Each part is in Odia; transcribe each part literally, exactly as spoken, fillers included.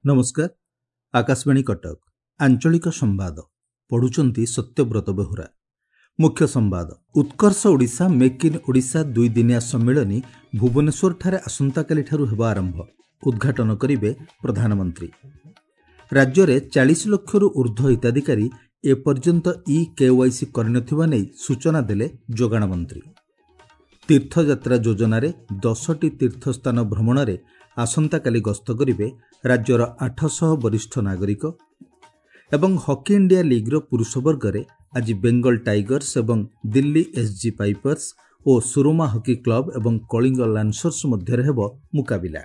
ନମସ୍କାର, ଆକାଶବାଣୀ କଟକ, ଆଞ୍ଚଳିକ ସମ୍ବାଦ ପଢୁଛନ୍ତି ସତ୍ୟବ୍ରତ ବେହୁରା। ମୁଖ୍ୟ ସମ୍ବାଦ। ଉତ୍କର୍ଷ ଓଡ଼ିଶା ମେକ୍ ଇନ୍ ଓଡ଼ିଶା ଦୁଇଦିନିଆ ସମ୍ମିଳନୀ ଭୁବନେଶ୍ୱରଠାରେ ଆସନ୍ତାକାଲିଠାରୁ ହେବ ଆରମ୍ଭ। ଉଦ୍ଘାଟନ କରିବେ ପ୍ରଧାନମନ୍ତ୍ରୀ। ରାଜ୍ୟରେ ଚାଳିଶ ଲକ୍ଷରୁ ଉର୍ଦ୍ଧ୍ୱ ହିତାଧିକାରୀ ଏପର୍ଯ୍ୟନ୍ତ ଇ କେୱାଇସି କରିନଥିବା ନେଇ ସୂଚନା ଦେଲେ ଯୋଗାଣ ମନ୍ତ୍ରୀ। ତୀର୍ଥଯାତ୍ରା ଯୋଜନାରେ ଦଶଟି ତୀର୍ଥସ୍ଥାନ ଭ୍ରମଣରେ ଆସନ୍ତାକାଲି ଗସ୍ତ କରିବେ ରାଜ୍ୟର ଆଠଶହ ବରିଷ୍ଠ ନାଗରିକ। ଏବଂ ହକି ଇଣ୍ଡିଆ ଲିଗ୍ର ପୁରୁଷ ବର୍ଗରେ ଆଜି ବେଙ୍ଗଲ ଟାଇଗର୍ସ ଏବଂ ଦିଲ୍ଲୀ ଏସ୍ଜି ପାଇପର୍ସ ଓ ସୁରମା ହକି କ୍ଲବ ଏବଂ କଳିଙ୍ଗ ଲାନ୍ସର୍ସ ମଧ୍ୟରେ ହେବ ମୁକାବିଲା।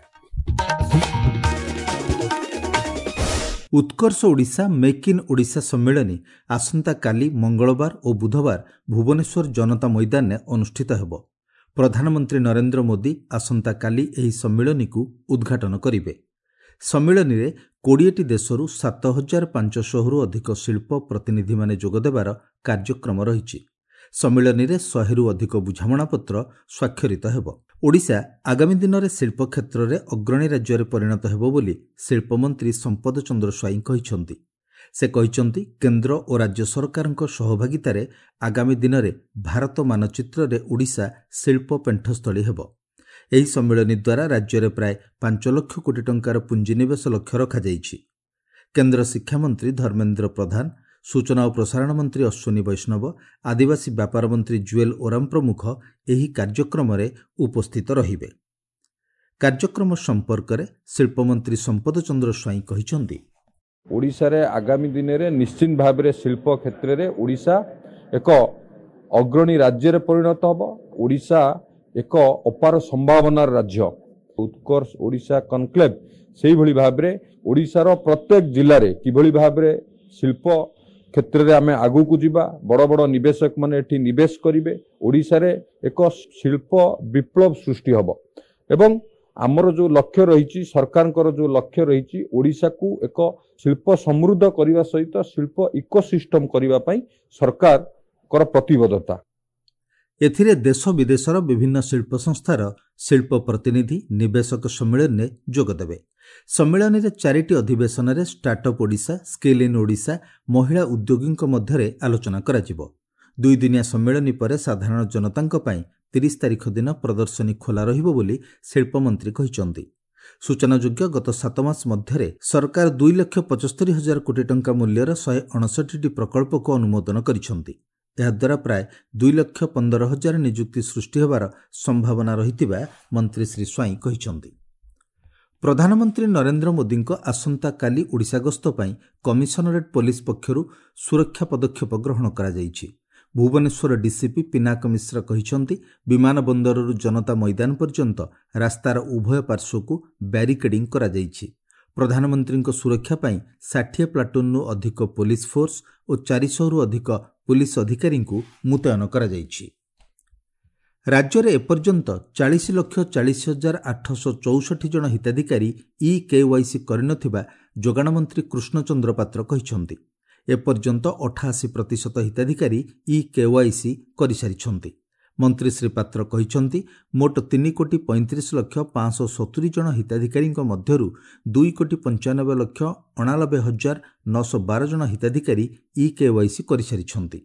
ଉତ୍କର୍ଷ ଓଡ଼ିଶା ମେକ୍ ଇନ୍ ଓଡ଼ିଶା ସମ୍ମିଳନୀ ଆସନ୍ତାକାଲି ମଙ୍ଗଳବାର ଓ ବୁଧବାର ଭୁବନେଶ୍ୱର ଜନତା ମଇଦାନରେ ଅନୁଷ୍ଠିତ ହେବ। ପ୍ରଧାନମନ୍ତ୍ରୀ ନରେନ୍ଦ୍ର ମୋଦି ଆସନ୍ତାକାଲି ଏହି ସମ୍ମିଳନୀକୁ ଉଦ୍ଘାଟନ କରିବେ। ସମ୍ମିଳନୀରେ କୋଡ଼ିଏଟି ଦେଶରୁ ସାତ ହଜାର ପାଞ୍ଚଶହରୁ ଅଧିକ ଶିଳ୍ପ ପ୍ରତିନିଧିମାନେ ଯୋଗଦେବାର କାର୍ଯ୍ୟକ୍ରମ ରହିଛି। ସମ୍ମିଳନୀରେ ଶହେରୁ ଅଧିକ ବୁଝାମଣାପତ୍ର ସ୍ୱାକ୍ଷରିତ ହେବ। ଓଡ଼ିଶା ଆଗାମୀ ଦିନରେ ଶିଳ୍ପ କ୍ଷେତ୍ରରେ ଅଗ୍ରଣୀ ରାଜ୍ୟରେ ପରିଣତ ହେବ ବୋଲି ଶିଳ୍ପମନ୍ତ୍ରୀ ସମ୍ପଦ ଚନ୍ଦ୍ର ସ୍ୱାଇଁ କହିଛନ୍ତି। ସେ କହିଛନ୍ତି, କେନ୍ଦ୍ର ଓ ରାଜ୍ୟ ସରକାରଙ୍କ ସହଭାଗିତାରେ ଆଗାମୀ ଦିନରେ ଭାରତ ମାନଚିତ୍ରରେ ଓଡ଼ିଶା ଶିଳ୍ପ ପେଣ୍ଠସ୍ଥଳୀ ହେବ। ଏହି ସମ୍ମିଳନୀ ଦ୍ୱାରା ରାଜ୍ୟରେ ପ୍ରାୟ ପାଞ୍ଚ ଲକ୍ଷ କୋଟି ଟଙ୍କାର ପୁଞ୍ଜିନିବେଶ ଲକ୍ଷ୍ୟ ରଖାଯାଇଛି। କେନ୍ଦ୍ର ଶିକ୍ଷାମନ୍ତ୍ରୀ ଧର୍ମେନ୍ଦ୍ର ପ୍ରଧାନ, ସୂଚନା ଓ ପ୍ରସାରଣ ମନ୍ତ୍ରୀ ଅଶ୍ୱିନୀ ବୈଷ୍ଣବ, ଆଦିବାସୀ ବ୍ୟାପାର ମନ୍ତ୍ରୀ ଜୁଏଲ ଓରାମ ପ୍ରମୁଖ ଏହି କାର୍ଯ୍ୟକ୍ରମରେ ଉପସ୍ଥିତ ରହିବେ। କାର୍ଯ୍ୟକ୍ରମ ସମ୍ପର୍କରେ ଶିଳ୍ପମନ୍ତ୍ରୀ ସମ୍ପଦ ଚନ୍ଦ୍ର ସ୍ୱାଇଁ କହିଛନ୍ତି, ଓଡ଼ିଶାରେ ଆଗାମୀ ଦିନରେ ନିଶ୍ଚିତ ଭାବରେ ଶିଳ୍ପ କ୍ଷେତ୍ରରେ ଓଡ଼ିଶା ଏକ ଅଗ୍ରଣୀ ରାଜ୍ୟରେ ପରିଣତ ହେବ। ଓଡ଼ିଶା ଏକ ଅପାର ସମ୍ଭାବନାର ରାଜ୍ୟ। ଉତ୍କର୍ଷ ଓଡ଼ିଶା କନକ୍ଲେଭ ସେଇଭଳି ଭାବରେ ଓଡ଼ିଶାର ପ୍ରତ୍ୟେକ ଜିଲ୍ଲାରେ କିଭଳି ଭାବରେ ଶିଳ୍ପ କ୍ଷେତ୍ରରେ ଆମେ ଆଗକୁ ଯିବା, ବଡ଼ ବଡ଼ ନିବେଶକମାନେ ଏଠି ନିବେଶ କରିବେ, ଓଡ଼ିଶାରେ ଏକ ଶିଳ୍ପ ବିପ୍ଳବ ସୃଷ୍ଟି ହେବ ଏବଂ ଆମର ଯେଉଁ ଲକ୍ଷ୍ୟ ରହିଛି, ସରକାରଙ୍କର ଯେଉଁ ଲକ୍ଷ୍ୟ ରହିଛି, ଓଡ଼ିଶାକୁ ଏକ ଶିଳ୍ପ ସମୃଦ୍ଧ କରିବା ସହିତ ଶିଳ୍ପ ଇକୋସିଷ୍ଟମ କରିବା ପାଇଁ ସରକାରଙ୍କର ପ୍ରତିବଦ୍ଧତା। ଏଥିରେ ଦେଶ ବିଦେଶର ବିଭିନ୍ନ ଶିଳ୍ପ ସଂସ୍ଥାର ଶିଳ୍ପ ପ୍ରତିନିଧି, ନିବେଶକ ସମ୍ମିଳନୀରେ ଯୋଗଦେବେ। ସମ୍ମିଳନୀରେ ଚାରିଟି ଅଧିବେଶନରେ startup Odisha, skill in Odisha, ମହିଳା ଉଦ୍ୟୋଗୀଙ୍କ ମଧ୍ୟରେ ଆଲୋଚନା କରାଯିବ। ଦୁଇଦିନିଆ ସମ୍ମିଳନୀ ପରେ ସାଧାରଣ ଜନତାଙ୍କ ପାଇଁ ତିରିଶ ତାରିଖ ଦିନ ପ୍ରଦର୍ଶନୀ ଖୋଲା ରହିବ ବୋଲି ଶିଳ୍ପମନ୍ତ୍ରୀ କହିଛନ୍ତି। ସୂଚନାଯୋଗ୍ୟ, ଗତ ସାତ ମାସ ମଧ୍ୟରେ ସରକାର ଦୁଇ ଲକ୍ଷ ପଞ୍ଚସ୍ତରୀ ହଜାର କୋଟି ଟଙ୍କା ମୂଲ୍ୟର ଶହେ ଅଣଷଠିଟି ପ୍ରକଳ୍ପକୁ ଅନୁମୋଦନ କରିଛନ୍ତି। ଏହାଦ୍ୱାରା ପ୍ରାୟ ଦୁଇ ଲକ୍ଷ ପନ୍ଦର ହଜାର ନିଯୁକ୍ତି ସୃଷ୍ଟି ହେବାର ସମ୍ଭାବନା ରହିଥିବା ମନ୍ତ୍ରୀ ଶ୍ରୀ ସ୍ୱାଇଁ କହିଛନ୍ତି। ପ୍ରଧାନମନ୍ତ୍ରୀ ନରେନ୍ଦ୍ର ମୋଦିଙ୍କ ଆସନ୍ତାକାଲି ଓଡ଼ିଶା ଗସ୍ତ ପାଇଁ କମିଶନରେଟ୍ ପୋଲିସ ପକ୍ଷରୁ ସୁରକ୍ଷା ପଦକ୍ଷେପ ଗ୍ରହଣ କରାଯାଇଛି। ଭୁବନେଶ୍ୱର ଡିସିପି ପିନାକ ମିଶ୍ର କହିଛନ୍ତି, ବିମାନ ବନ୍ଦରରୁ ଜନତା ମଇଦାନ ପର୍ଯ୍ୟନ୍ତ ରାସ୍ତାର ଉଭୟ ପାର୍ଶ୍ୱକୁ ବ୍ୟାରିକେଡିଂ କରାଯାଇଛି। ପ୍ରଧାନମନ୍ତ୍ରୀଙ୍କ ସୁରକ୍ଷା ପାଇଁ ଷାଠିଏ ପ୍ଲାଟୁନ୍ରୁ ଅଧିକ ପୋଲିସ ଫୋର୍ସ ଓ ଚାରିଶହରୁ ଅଧିକ ପୋଲିସ ଅଧିକାରୀଙ୍କୁ ମୁତୟନ କରାଯାଇଛି। ରାଜ୍ୟରେ ଏପର୍ଯ୍ୟନ୍ତ ଚାଳିଶ ଲକ୍ଷ ଚାଳିଶ ହଜାର ଆଠଶହ ଚଉଷଠି ଜଣ ହିତାଧିକାରୀ ଇ କେୱାଇସି କରିନଥିବା ଯୋଗାଣ ମନ୍ତ୍ରୀ କୃଷ୍ଣଚନ୍ଦ୍ର ପାତ୍ର କହିଛନ୍ତି। ଏପର୍ଯ୍ୟନ୍ତ ଅଠାଅଶୀ ପ୍ରତିଶତ ହିତାଧିକାରୀ ଇ କେୱାଇସି କରିସାରିଛନ୍ତି। ମନ୍ତ୍ରୀ ଶ୍ରୀ ପାତ୍ର କହିଛନ୍ତି, ମୋଟ ତିନି କୋଟି ପଇଁତିରିଶ ଲକ୍ଷ ପାଞ୍ଚଶହ ସତୁରି ଜଣ ହିତାଧିକାରୀଙ୍କ ମଧ୍ୟରୁ ଦୁଇ କୋଟି ପଞ୍ଚାନବେ ଲକ୍ଷ ଅଣାନବେ ହଜାର ନଅଶହ ବାର ଜଣ ହିତାଧିକାରୀ ଇ କେୱାଇସି କରିସାରିଛନ୍ତି।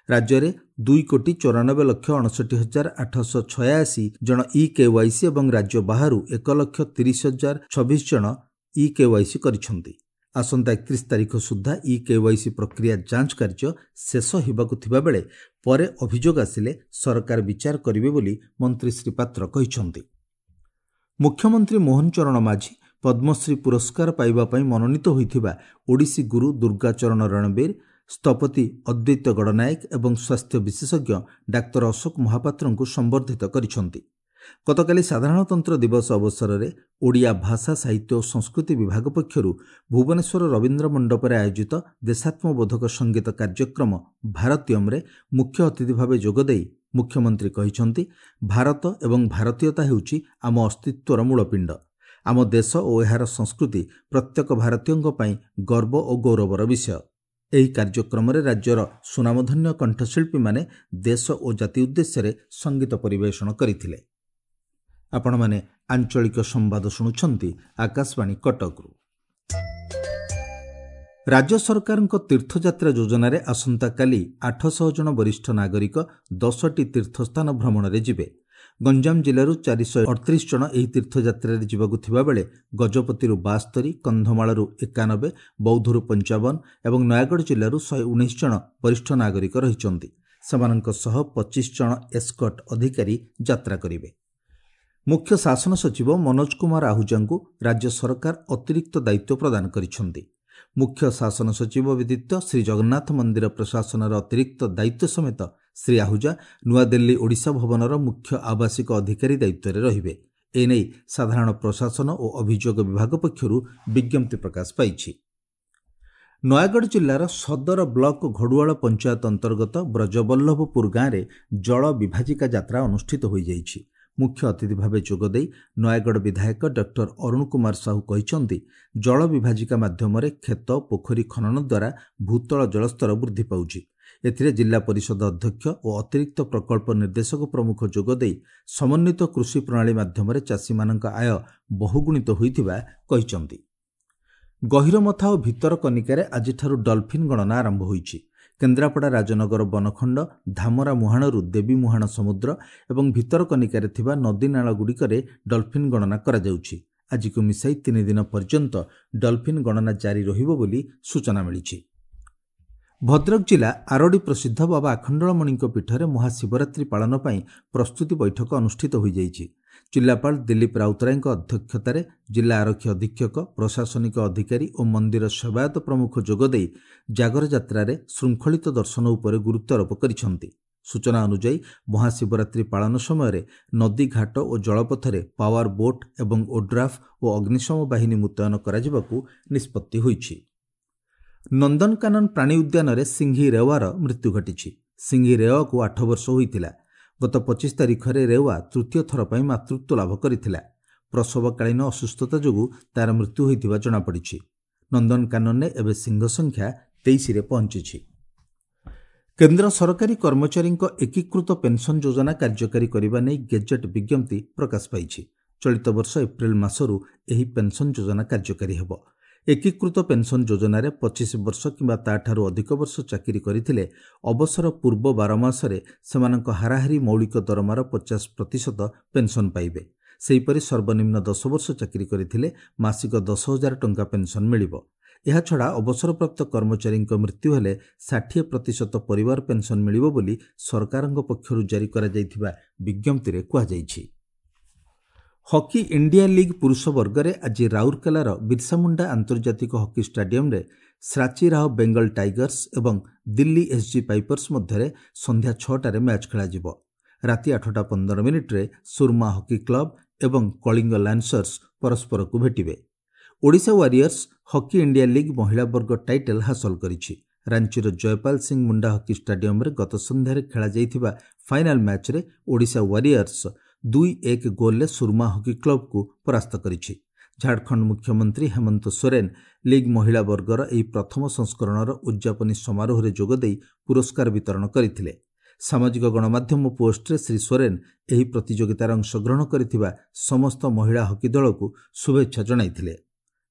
ରାଜ୍ୟରେ ଦୁଇ କୋଟି ଚଉରାନବେ ଲକ୍ଷ ଅଣଷଠି ହଜାର ଆଠଶହ ଛୟାଅଶୀ ଜଣ ଇ କେୱାଇସି ଏବଂ ରାଜ୍ୟ ବାହାରୁ ଏକ ଲକ୍ଷ ତିରିଶ ହଜାର ଛବିଶ ଜଣ ଇ କେୱାଇସି କରିଛନ୍ତି। ଆସନ୍ତା ଏକତିରିଶ ତାରିଖ ସୁଦ୍ଧା ଇ କେୱାଇସି ପ୍ରକ୍ରିୟା ଯାଞ୍ଚ କାର୍ଯ୍ୟ ଶେଷ ହେବାକୁ ଥିବାବେଳେ ପରେ ଅଭିଯୋଗ ଆସିଲେ ସରକାର ବିଚାର କରିବେ ବୋଲି ମନ୍ତ୍ରୀ ଶ୍ରୀ ପାତ୍ର କହିଛନ୍ତି। ମୁଖ୍ୟମନ୍ତ୍ରୀ ମୋହନ ଚରଣ ମାଝୀ ପଦ୍ମଶ୍ରୀ ପୁରସ୍କାର ପାଇବା ପାଇଁ ମନୋନୀତ ହୋଇଥିବା ଓଡ଼ିଶୀ ଗୁରୁ ଦୁର୍ଗାଚରଣ ରଣବୀର, ସ୍ଥପତି ଅଦ୍ୱୈତ ଗଡ଼ନାୟକ ଏବଂ ସ୍ୱାସ୍ଥ୍ୟ ବିଶେଷଜ୍ଞ ଡାକ୍ତର ଅଶୋକ ମହାପାତ୍ରଙ୍କୁ ସମ୍ବର୍ଦ୍ଧିତ କରିଛନ୍ତି। ଗତକାଲି ସାଧାରଣତନ୍ତ୍ର ଦିବସ ଅବସରରେ ଓଡ଼ିଆ ଭାଷା, ସାହିତ୍ୟ ଓ ସଂସ୍କୃତି ବିଭାଗ ପକ୍ଷରୁ ଭୁବନେଶ୍ୱର ରବୀନ୍ଦ୍ର ମଣ୍ଡପରେ ଆୟୋଜିତ ଦେଶାତ୍ମବୋଧକ ସଙ୍ଗୀତ କାର୍ଯ୍ୟକ୍ରମ ଭାରତୀୟମ୍ରେ ମୁଖ୍ୟ ଅତିଥି ଭାବେ ଯୋଗଦେଇ ମୁଖ୍ୟମନ୍ତ୍ରୀ କହିଛନ୍ତି, ଭାରତ ଏବଂ ଭାରତୀୟତା ହେଉଛି ଆମ ଅସ୍ତିତ୍ୱର ମୂଳପିଣ୍ଡ। ଆମ ଦେଶ ଓ ଏହାର ସଂସ୍କୃତି ପ୍ରତ୍ୟେକ ଭାରତୀୟଙ୍କ ପାଇଁ ଗର୍ବ ଓ ଗୌରବର ବିଷୟ। ଏହି କାର୍ଯ୍ୟକ୍ରମରେ ରାଜ୍ୟର ସୁନାମଧନ୍ୟ କଣ୍ଠଶିଳ୍ପୀମାନେ ଦେଶ ଓ ଜାତି ଉଦ୍ଦେଶ୍ୟରେ ସଙ୍ଗୀତ ପରିବେଷଣ କରିଥିଲେ। ଆପଣମାନେ ଆଞ୍ଚଳିକ ସମ୍ବାଦ ଶୁଣୁଛନ୍ତି ଆକାଶବାଣୀ କଟକରୁ। ରାଜ୍ୟ ସରକାରଙ୍କ ତୀର୍ଥଯାତ୍ରା ଯୋଜନାରେ ଆସନ୍ତାକାଲି ଆଠଶହ ଜଣ ବରିଷ୍ଠ ନାଗରିକ ଦଶଟି ତୀର୍ଥସ୍ଥାନ ଭ୍ରମଣରେ ଯିବେ। ଗଞ୍ଜାମ ଜିଲ୍ଲାରୁ ଚାରିଶହ ଅଠତିରିଶ ଜଣ ଏହି ତୀର୍ଥଯାତ୍ରାରେ ଯିବାକୁ ଥିବାବେଳେ ଗଜପତିରୁ ବାସ୍ତରୀ, କନ୍ଧମାଳରୁ ଏକାନବେ, ବୌଦ୍ଧରୁ ପଞ୍ଚାବନ ଏବଂ ନୟାଗଡ଼ ଜିଲ୍ଲାରୁ ଶହେ ଉଣେଇଶ ଜଣ ବରିଷ୍ଠ ନାଗରିକ ରହିଛନ୍ତି। ସେମାନଙ୍କ ସହ ପଚିଶ ଜଣ ଏସ୍କର୍ଟ ଅଧିକାରୀ ଯାତ୍ରା କରିବେ। ମୁଖ୍ୟ ଶାସନ ସଚିବ ମନୋଜ କୁମାର ଆହୁଜାଙ୍କୁ ରାଜ୍ୟ ସରକାର ଅତିରିକ୍ତ ଦାୟିତ୍ୱ ପ୍ରଦାନ କରିଛନ୍ତି। ମୁଖ୍ୟ ଶାସନ ସଚିବ ବ୍ୟତୀତ ଶ୍ରୀଜଗନ୍ନାଥ ମନ୍ଦିର ପ୍ରଶାସନର ଅତିରିକ୍ତ ଦାୟିତ୍ୱ ସମେତ ଶ୍ରୀ ଆହୁଜା ନୂଆଦିଲ୍ଲୀ ଓଡ଼ିଶା ଭବନର ମୁଖ୍ୟ ଆବାସିକ ଅଧିକାରୀ ଦାୟିତ୍ୱରେ ରହିବେ। ଏନେଇ ସାଧାରଣ ପ୍ରଶାସନ ଓ ଅଭିଯୋଗ ବିଭାଗ ପକ୍ଷରୁ ବିଜ୍ଞପ୍ତି ପ୍ରକାଶ ପାଇଛି। ନୟାଗଡ଼ ଜିଲ୍ଲାର ସଦର ବ୍ଲକ ଘଡ଼ୁଆଳ ପଞ୍ଚାୟତ ଅନ୍ତର୍ଗତ ବ୍ରଜବଲ୍ଲଭପୁର ଗାଁରେ ଜଳ ବିଭାଜିକା ଯାତ୍ରା ଅନୁଷ୍ଠିତ ହୋଇଯାଇଛି। ମୁଖ୍ୟ ଅତିଥି ଭାବେ ଯୋଗଦେଇ ନୟାଗଡ଼ ବିଧାୟକ ଡକ୍ଟର ଅରୁଣ କୁମାର ସାହୁ କହିଛନ୍ତି, ଜଳ ବିଭାଜିକା ମାଧ୍ୟମରେ କ୍ଷେତ ପୋଖରୀ ଖନନ ଦ୍ୱାରା ଭୂତଳ ଜଳସ୍ତର ବୃଦ୍ଧି ପାଉଛି। ଏଥିରେ ଜିଲ୍ଲା ପରିଷଦ ଅଧ୍ୟକ୍ଷ ଓ ଅତିରିକ୍ତ ପ୍ରକଳ୍ପ ନିର୍ଦ୍ଦେଶକ ପ୍ରମୁଖ ଯୋଗଦେଇ ସମନ୍ୱିତ କୃଷି ପ୍ରଣାଳୀ ମାଧ୍ୟମରେ ଚାଷୀମାନଙ୍କ ଆୟ ବହୁଗୁଣିତ ହୋଇଥିବା କହିଛନ୍ତି। ଗହୀରମଥା ଓ ଭିତରକନିକାରେ ଆଜିଠାରୁ ଡଲଫିନ୍ ଗଣନା ଆରମ୍ଭ ହୋଇଛି। କେନ୍ଦ୍ରାପଡ଼ା ରାଜନଗର ବନଖଣ୍ଡ ଧାମରା ମୁହାଣରୁ ଦେବୀ ମୁହାଣ ସମୁଦ୍ର ଏବଂ ଭିତରକନିକାରେ ଥିବା ନଦୀନାଳଗୁଡ଼ିକରେ ଡଲଫିନ୍ ଗଣନା କରାଯାଉଛି। ଆଜିକୁ ମିଶାଇ ତିନି ଦିନ ପର୍ଯ୍ୟନ୍ତ ଡଲଫିନ୍ ଗଣନା ଜାରି ରହିବ ବୋଲି ସୂଚନା ମିଳିଛି। ଭଦ୍ରକ ଜିଲ୍ଲା ଆରଡ଼ି ପ୍ରସିଦ୍ଧ ବାବା ଆଖଣ୍ଡଳମଣିଙ୍କ ପୀଠରେ ମହାଶିବରାତ୍ରି ପାଳନ ପାଇଁ ପ୍ରସ୍ତୁତି ବୈଠକ ଅନୁଷ୍ଠିତ ହୋଇଯାଇଛି। ଜିଲ୍ଲାପାଳ ଦିଲ୍ଲୀପ ରାଉତରାୟଙ୍କ ଅଧ୍ୟକ୍ଷତାରେ ଜିଲ୍ଲା ଆରକ୍ଷୀ ଅଧୀକ୍ଷକ, ପ୍ରଶାସନିକ ଅଧିକାରୀ ଓ ମନ୍ଦିର ସେବାୟତ ପ୍ରମୁଖ ଯୋଗଦେଇ ଜାଗର ଯାତ୍ରାରେ ଶୃଙ୍ଖଳିତ ଦର୍ଶନ ଉପରେ ଗୁରୁତ୍ୱାରୋପ କରିଛନ୍ତି। ସୂଚନା ଅନୁଯାୟୀ ମହାଶିବରାତ୍ରି ପାଳନ ସମୟରେ ନଦୀ ଘାଟ ଓ ଜଳପଥରେ ପାୱାର ବୋଟ୍ ଏବଂ ଓଡ୍ରାଫ୍ ଓ ଅଗ୍ନିଶମ ବାହିନୀ ମୁତୟନ କରାଯିବାକୁ ନିଷ୍ପତ୍ତି ହୋଇଛି। ନନ୍ଦନକାନନ ପ୍ରାଣୀ ଉଦ୍ୟାନରେ ସିଂହୀ ରେୱାର ମୃତ୍ୟୁ ଘଟିଛି। ସିଂହୀ ରେୱାକୁ ଆଠ ବର୍ଷ ହୋଇଥିଲା। ଗତ ପଚିଶ ତାରିଖରେ ରେୱା ତୃତୀୟ ଥର ପାଇଁ ମାତୃତ୍ୱ ଲାଭ କରିଥିଲା। ପ୍ରସବକାଳୀନ ଅସୁସ୍ଥତା ଯୋଗୁଁ ତାର ମୃତ୍ୟୁ ହୋଇଥିବା ଜଣାପଡ଼ିଛି। ନନ୍ଦନକାନନରେ ଏବେ ସିଂହ ସଂଖ୍ୟା ତେଇଶରେ ପହଞ୍ଚିଛି। କେନ୍ଦ୍ର ସରକାରୀ କର୍ମଚାରୀଙ୍କ ଏକୀକୃତ ପେନ୍ସନ୍ ଯୋଜନା କାର୍ଯ୍ୟକାରୀ କରିବା ନେଇ ଗେଜେଟ୍ ବିଜ୍ଞପ୍ତି ପ୍ରକାଶ ପାଇଛି। ଚଳିତ ବର୍ଷ ଏପ୍ରିଲ ମାସରୁ ଏହି ପେନ୍ସନ୍ ଯୋଜନା କାର୍ଯ୍ୟକାରୀ ହେବ। ଏକୀକୃତ ପେନ୍ସନ୍ ଯୋଜନାରେ ପଚିଶ ବର୍ଷ କିମ୍ବା ତାଠାରୁ ଅଧିକ ବର୍ଷ ଚାକିରି କରିଥିଲେ ଅବସର ପୂର୍ବ ବାର ମାସରେ ସେମାନଙ୍କ ହାରାହାରି ମୌଳିକ ଦରମାର ପଚାଶ ପ୍ରତିଶତ ପେନ୍ସନ୍ ପାଇବେ। ସେହିପରି ସର୍ବନିମ୍ନ ଦଶ ବର୍ଷ ଚାକିରି କରିଥିଲେ ମାସିକ ଦଶ ହଜାର ଟଙ୍କା ପେନ୍ସନ୍ ମିଳିବ। ଏହାଛଡ଼ା ଅବସରପ୍ରାପ୍ତ କର୍ମଚାରୀଙ୍କ ମୃତ୍ୟୁ ହେଲେ ଷାଠିଏ ପ୍ରତିଶତ ପରିବାର ପେନ୍ସନ୍ ମିଳିବ ବୋଲି ସରକାରଙ୍କ ପକ୍ଷରୁ ଜାରି କରାଯାଇଥିବା ବିଜ୍ଞପ୍ତିରେ କୁହାଯାଇଛି। ହକି ଇଣ୍ଡିଆ ଲିଗ୍ ପୁରୁଷ ବର୍ଗରେ ଆଜି ରାଉରକେଲାର ବିର୍ସାମୁଣ୍ଡା ଆନ୍ତର୍ଜାତିକ ହକି ଷ୍ଟାଡିୟମରେ ଶ୍ରାଚୀ ରାଓ ବେଙ୍ଗଲ ଟାଇଗର୍ସ ଏବଂ ଦିଲ୍ଲୀ ଏସ୍ଜି ପାଇପର୍ସ ମଧ୍ୟରେ ସନ୍ଧ୍ୟା ଛଅଟାରେ ମ୍ୟାଚ୍ ଖେଳାଯିବ। ରାତି ଆଠଟା ପନ୍ଦର ମିନିଟ୍ରେ ସୁରମା ହକି କ୍ଲବ ଏବଂ କଳିଙ୍ଗ ଲାନ୍ସର୍ସ ପରସ୍ପରକୁ ଭେଟିବେ। Odisha Warriors hockey India league ମହିଳା ବର୍ଗ ଟାଇଟଲ୍ ହାସଲ କରିଛି। ରାଞ୍ଚିର ଜୟପାଲ ସିଂ ମୁଣ୍ଡା ହକି ଷ୍ଟାଡିୟମରେ ଗତ ସନ୍ଧ୍ୟାରେ ଖେଳାଯାଇଥିବା ଫାଇନାଲ ମ୍ୟାଚ୍ରେ ଓଡ଼ିଶା ୱାରିୟର୍ସ ଦୁଇ ଏକ ଗୋଲ୍ରେ ସୁରମା ହକି କ୍ଲବକୁ ପରାସ୍ତ କରିଛି। ଝାଡ଼ଖଣ୍ଡ ମୁଖ୍ୟମନ୍ତ୍ରୀ ହେମନ୍ତ ସୋରେନ ଲିଗ୍ ମହିଳା ବର୍ଗର ଏହି ପ୍ରଥମ ସଂସ୍କରଣର ଉଦ୍ଯାପନୀ ସମାରୋହରେ ଯୋଗଦେଇ ପୁରସ୍କାର ବିତରଣ କରିଥିଲେ। ସାମାଜିକ ଗଣମାଧ୍ୟମ ପୋଷ୍ଟରେ ଶ୍ରୀ ସୋରେନ ଏହି ପ୍ରତିଯୋଗିତାରେ ଅଂଶଗ୍ରହଣ କରିଥିବା ସମସ୍ତ ମହିଳା ହକି ଦଳକୁ ଶୁଭେଚ୍ଛା ଜଣାଇଥିଲେ।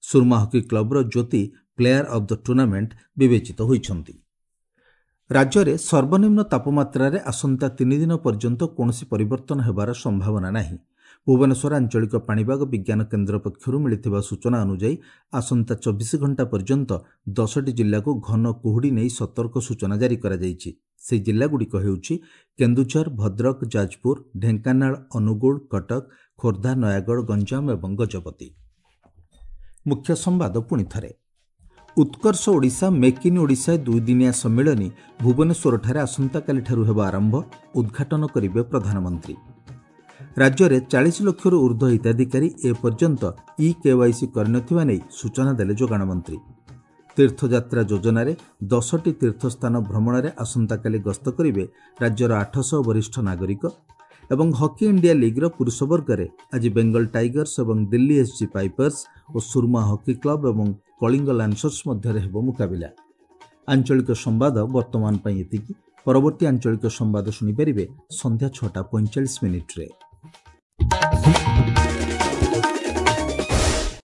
ସୁରମା ହକି କ୍ଲବର Jyoti player of the tournament ବିବେଚିତ ହୋଇଛନ୍ତି। ରାଜ୍ୟରେ ସର୍ବନିମ୍ନ ତାପମାତ୍ରାରେ ଆସନ୍ତା ତିନି ଦିନ ପର୍ଯ୍ୟନ୍ତ କୌଣସି ପରିବର୍ତ୍ତନ ହେବାର ସମ୍ଭାବନା ନାହିଁ। ଭୁବନେଶ୍ୱର ଆଞ୍ଚଳିକ ପାଣିପାଗ ବିଜ୍ଞାନ କେନ୍ଦ୍ର ପକ୍ଷରୁ ମିଳିଥିବା ସୂଚନା ଅନୁଯାୟୀ ଆସନ୍ତା ଚବିଶ ଘଣ୍ଟା ପର୍ଯ୍ୟନ୍ତ ଦଶଟି ଜିଲ୍ଲାକୁ ଘନ କୁହୁଡ଼ି ନେଇ ସତର୍କ ସୂଚନା ଜାରି କରାଯାଇଛି। ସେହି ଜିଲ୍ଲାଗୁଡ଼ିକ ହେଉଛି କେନ୍ଦୁଝର, ଭଦ୍ରକ, ଯାଜପୁର, ଢେଙ୍କାନାଳ, ଅନୁଗୁଳ, କଟକ, ଖୋର୍ଦ୍ଧା, ନୟାଗଡ଼, ଗଞ୍ଜାମ ଏବଂ ଗଜପତି। ମୁଖ୍ୟ ସମ୍ବାଦ ପୁଣି ଥରେ। ଉତ୍କର୍ଷ ଓଡ଼ିଶା ମେକ୍ ଇନ୍ ଓଡ଼ିଶା ଦୁଇଦିନିଆ ସମ୍ମିଳନୀ ଭୁବନେଶ୍ୱରଠାରେ ଆସନ୍ତାକାଲିଠାରୁ ହେବ ଆରମ୍ଭ। ଉଦ୍ଘାଟନ କରିବେ ପ୍ରଧାନମନ୍ତ୍ରୀ। ରାଜ୍ୟରେ ଚାଳିଶ ଲକ୍ଷରୁ ଉର୍ଦ୍ଧ୍ୱ ହିତାଧିକାରୀ ଏପର୍ଯ୍ୟନ୍ତ ଇ କେୱାଇସି କରିନଥିବା ନେଇ ସୂଚନା ଦେଲେ ଯୋଗାଣ ମନ୍ତ୍ରୀ। ତୀର୍ଥଯାତ୍ରା ଯୋଜନାରେ ଦଶଟି ତୀର୍ଥସ୍ଥାନ ଭ୍ରମଣରେ ଆସନ୍ତାକାଲି ଗସ୍ତ କରିବେ ରାଜ୍ୟର ଆଠଶହ ବରିଷ୍ଠ ନାଗରିକ। ଏବଂ ହକି ଇଣ୍ଡିଆ ଲିଗ୍ର ପୁରୁଷ ବର୍ଗରେ ଆଜି ବେଙ୍ଗଲ ଟାଇଗର୍ସ ଏବଂ ଦିଲ୍ଲୀ ଏସ୍ଜି ପାଇପର୍ସ ଓ ସୁରମା ହକି କ୍ଲବ ଏବଂ କଳିଙ୍ଗ ଲାନ୍ସର୍ସ ମଧ୍ୟରେ ହେବ ମୁକାବିଲା। ଆଞ୍ଚଳିକ ସମ୍ବାଦ ବର୍ତ୍ତମାନ ପାଇଁ ଏତିକି। ପରବର୍ତ୍ତୀ ଆଞ୍ଚଳିକ ସମ୍ବାଦ ଶୁଣିପାରିବେ ସନ୍ଧ୍ୟା ଛଅଟା ପଇଁଚାଳିଶ ମିନିଟ୍ରେ।